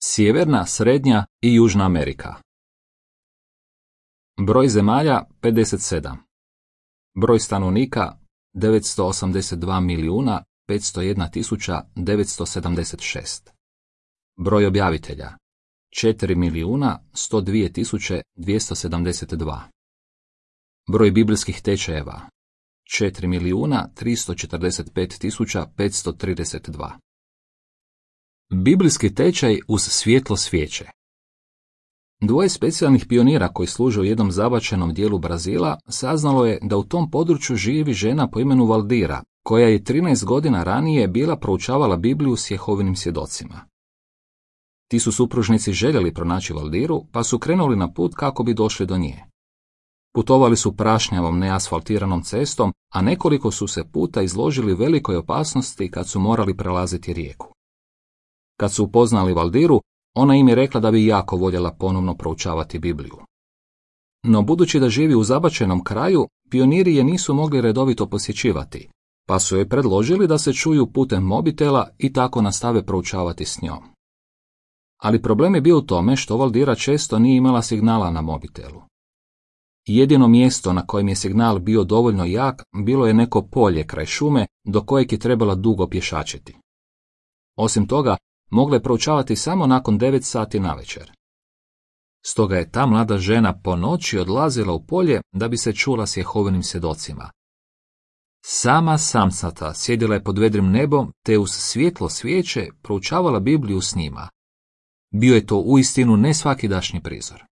Sjeverna, Srednja i Južna Amerika. Broj zemalja 57. Broj stanovnika 982.501.976. Broj objavitelja 4.102.272. Broj biblijskih tečajeva 4.345.532. Biblijski tečaj uz svjetlo svijeće. Dvoje specijalnih pionira koji služe u jednom zabačenom dijelu Brazila saznalo je da u tom području živi žena po imenu Valdira, koja je 13 godina ranije bila proučavala Bibliju s Jehovinim svjedocima. Ti su supružnici željeli pronaći Valdiru, pa su krenuli na put kako bi došli do nje. Putovali su prašnjavom neasfaltiranom cestom, a nekoliko su se puta izložili velikoj opasnosti kad su morali prelaziti rijeku. Kad su upoznali Valdiru, ona im je rekla da bi jako voljela ponovno proučavati Bibliju. No budući da živi u zabačenom kraju, pioniri je nisu mogli redovito posjećivati, pa su joj predložili da se čuju putem mobitela i tako nastave proučavati s njom. Ali problem je bio u tome što Valdira često nije imala signala na mobitelu. Jedino mjesto na kojem je signal bio dovoljno jak bilo je neko polje kraj šume do kojeg je trebala dugo pješačiti. Osim toga, mogla je proučavati samo nakon 9 sati navečer. Stoga je ta mlada žena po noći odlazila u polje da bi se čula s Jehovinim svjedocima. Sama samcata sjedila je pod vedrim nebom te uz svjetlo svijeće proučavala Bibliju s njima. Bio je to uistinu nesvakidašnji prizor.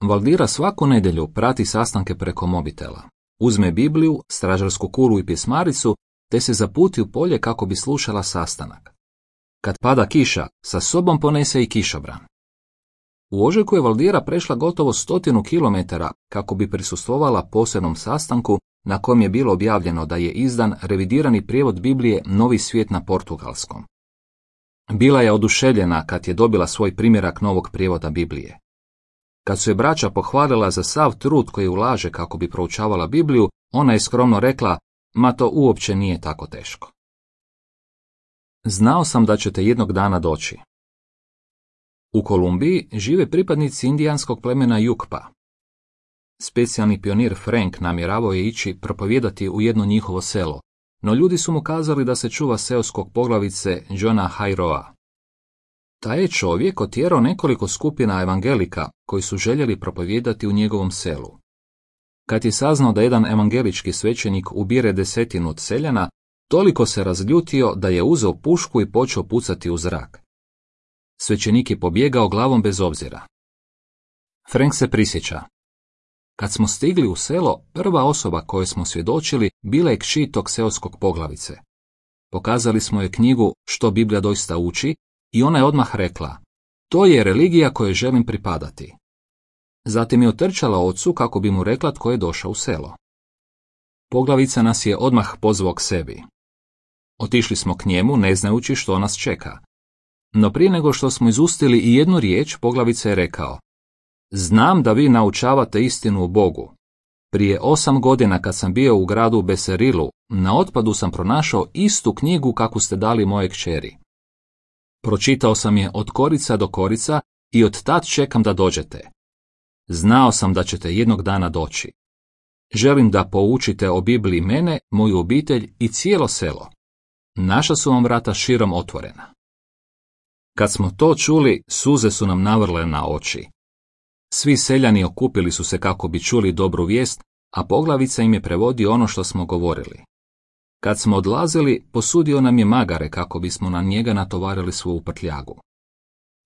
Valdira svaku nedjelju prati sastanke preko mobitela. Uzme Bibliju, stražarsku kulu i pismaricu te se zaputi u polje kako bi slušala sastanak. Kad pada kiša, sa sobom ponese i kišobran. U ožujku je Valdira prešla gotovo 100 kilometara kako bi prisustvovala posebnom sastanku na kojem je bilo objavljeno da je izdan revidirani prijevod Biblije Novi svijet na portugalskom. Bila je oduševljena kad je dobila svoj primjerak novog prijevoda Biblije. Kad su je braća pohvalila za sav trud koji ulaže kako bi proučavala Bibliju, ona je skromno rekla, ma to uopće nije tako teško. Znao sam da ćete jednog dana doći. U Kolumbiji žive pripadnici indijanskog plemena Jukpa. Specijalni pionir Frank namjeravao je ići propovijedati u jedno njihovo selo, no ljudi su mu kazali da se čuva seoskog poglavice Johna Hairoa. Taj je čovjek otjerao nekoliko skupina evangelika koji su željeli propovijedati u njegovom selu. Kad je saznao da jedan evangelički svećenik ubire 10 od seljana, toliko se razljutio da je uzeo pušku i počeo pucati u zrak. Svećenik je pobjegao glavom bez obzira. Frank se prisjeća. Kad smo stigli u selo, prva osoba kojoj smo svjedočili bila je kći tog seoskog poglavice. Pokazali smo joj knjigu Što Biblija doista uči i ona je odmah rekla, to je religija kojoj želim pripadati. Zatim je otrčala ocu kako bi mu rekla tko je došao u selo. Poglavica nas je odmah pozvao k sebi. Otišli smo k njemu ne znajući što nas čeka. No prije nego što smo izustili i jednu riječ, poglavica je rekao, znam da vi naučavate istinu o Bogu. Prije 8 godina kad sam bio u gradu Beserilu, na otpadu sam pronašao istu knjigu kakvu ste dali moje kćeri. Pročitao sam je od korica do korica i od tad čekam da dođete. Znao sam da ćete jednog dana doći. Želim da poučite o Bibliji mene, moju obitelj i cijelo selo. Naša su vam vrata širom otvorena. Kad smo to čuli, suze su nam navrle na oči. Svi seljani okupili su se kako bi čuli dobru vijest, a poglavica im je prevodio ono što smo govorili. Kad smo odlazili, posudio nam je magare kako bismo na njega natovarili svu prtljagu.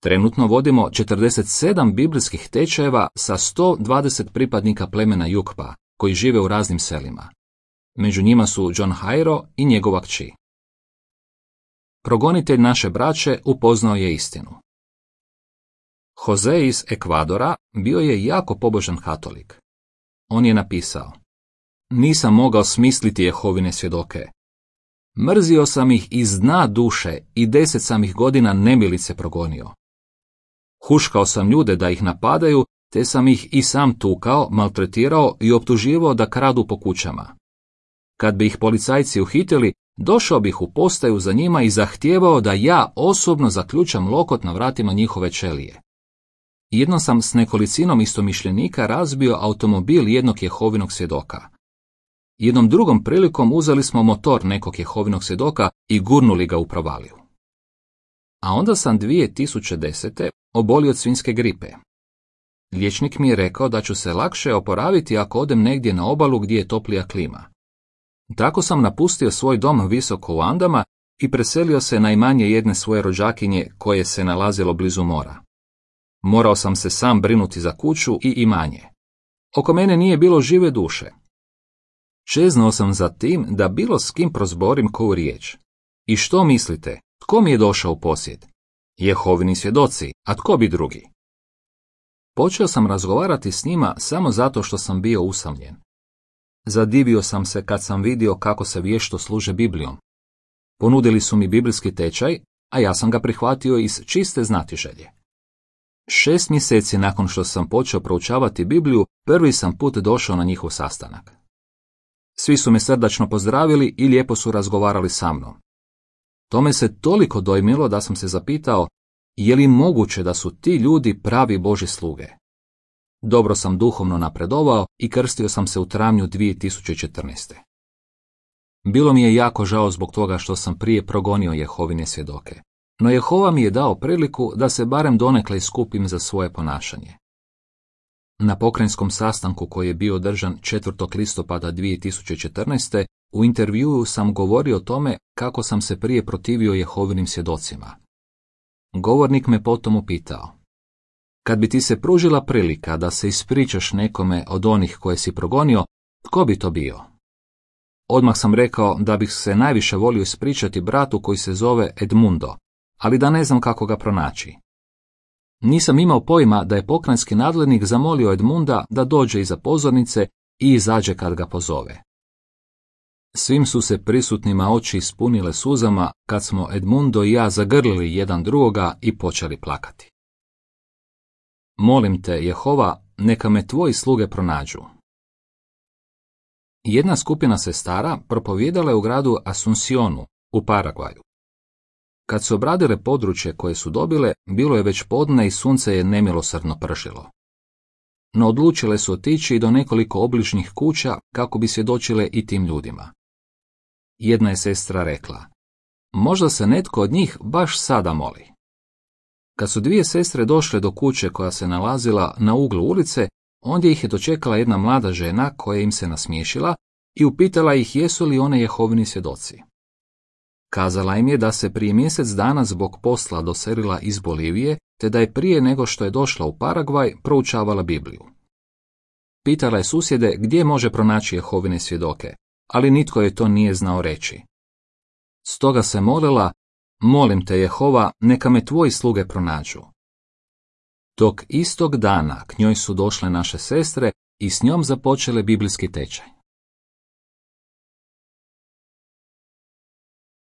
Trenutno vodimo 47 biblijskih tečajeva sa 120 pripadnika plemena Jukpa, koji žive u raznim selima. Među njima su John Hairo i njegova kći. Progonitelj naše braće upoznao je istinu. Jose iz Ekvadora bio je jako pobožan katolik. On je napisao, nisam mogao smisliti Jehovine svjedoke. Mrzio sam ih iz dna duše i 10 sam ih godina nemilice progonio. Huškao sam ljude da ih napadaju, te sam ih i sam tukao, maltretirao i optuživao da kradu po kućama. Kad bi ih policajci uhitili, došao bih u postaju za njima i zahtijevao da ja osobno zaključam lokot na vratima njihove ćelije. Jednom sam s nekolicinom istomišljenika razbio automobil jednog Jehovinog svjedoka. Jednom drugom prilikom uzeli smo motor nekog Jehovinog svjedoka i gurnuli ga u provaliju. A onda sam 2010. obolio od svinjske gripe. Liječnik mi je rekao da ću se lakše oporaviti ako odem negdje na obalu gdje je toplija klima. Tako sam napustio svoj dom visoko u Andama i preselio se na imanje jedne svoje rođakinje koje se nalazilo blizu mora. Morao sam se sam brinuti za kuću i imanje. Oko mene nije bilo žive duše. Čeznuo sam za tim da bilo s kim prozborim koju riječ. I što mislite, tko mi je došao u posjed? Jehovini svjedoci, a tko bi drugi? Počeo sam razgovarati s njima samo zato što sam bio usamljen. Zadivio sam se kad sam vidio kako se vješto služe Biblijom. Ponudili su mi biblijski tečaj, a ja sam ga prihvatio iz čiste znatiželje. 6 mjeseci nakon što sam počeo proučavati Bibliju, prvi sam put došao na njihov sastanak. Svi su me srdačno pozdravili i lijepo su razgovarali sa mnom. To me se toliko dojmilo da sam se zapitao, je li moguće da su ti ljudi pravi Božji sluge? Dobro sam duhovno napredovao i krstio sam se u travnju 2014. Bilo mi je jako žao zbog toga što sam prije progonio Jehovine svjedoke, no Jehova mi je dao priliku da se barem donekle iskupim za svoje ponašanje. Na pokrajinskom sastanku koji je bio održan 4. listopada 2014. u intervjuu sam govorio o tome kako sam se prije protivio Jehovinim svjedocima. Govornik me potom upitao: kad bi ti se pružila prilika da se ispričaš nekome od onih koje si progonio, tko bi to bio? Odmah sam rekao da bih se najviše volio ispričati bratu koji se zove Edmundo, ali da ne znam kako ga pronaći. Nisam imao pojma da je pokrajinski nadglednik zamolio Edmunda da dođe iza pozornice i izađe kad ga pozove. Svim su se prisutnima oči ispunile suzama kad smo Edmundo i ja zagrlili jedan drugoga i počeli plakati. Molim te, Jehova, neka me tvoji sluge pronađu. Jedna skupina sestara propovijedala je u gradu Asuncionu u Paragvaju. Kad su obradile područje koje su dobile, bilo je već podne i sunce je nemilosrdno pršilo. No odlučile su otići do nekoliko obližnjih kuća kako bi svjedočile i tim ljudima. Jedna je sestra rekla: možda se netko od njih baš sada moli. Kad su dvije sestre došle do kuće koja se nalazila na uglu ulice, ondje ih je dočekala jedna mlada žena koja im se nasmiješila i upitala ih jesu li one Jehovini svjedoci. Kazala im je da se prije mjesec dana zbog posla doselila iz Bolivije, te da je prije nego što je došla u Paragvaj proučavala Bibliju. Pitala je susjede gdje može pronaći Jehovine svjedoke, ali nitko je to nije znao reći. Stoga se molila: molim te, Jehova, neka me tvoji sluge pronađu. Tog istog dana k njoj su došle naše sestre i s njom započele biblijski tečaj.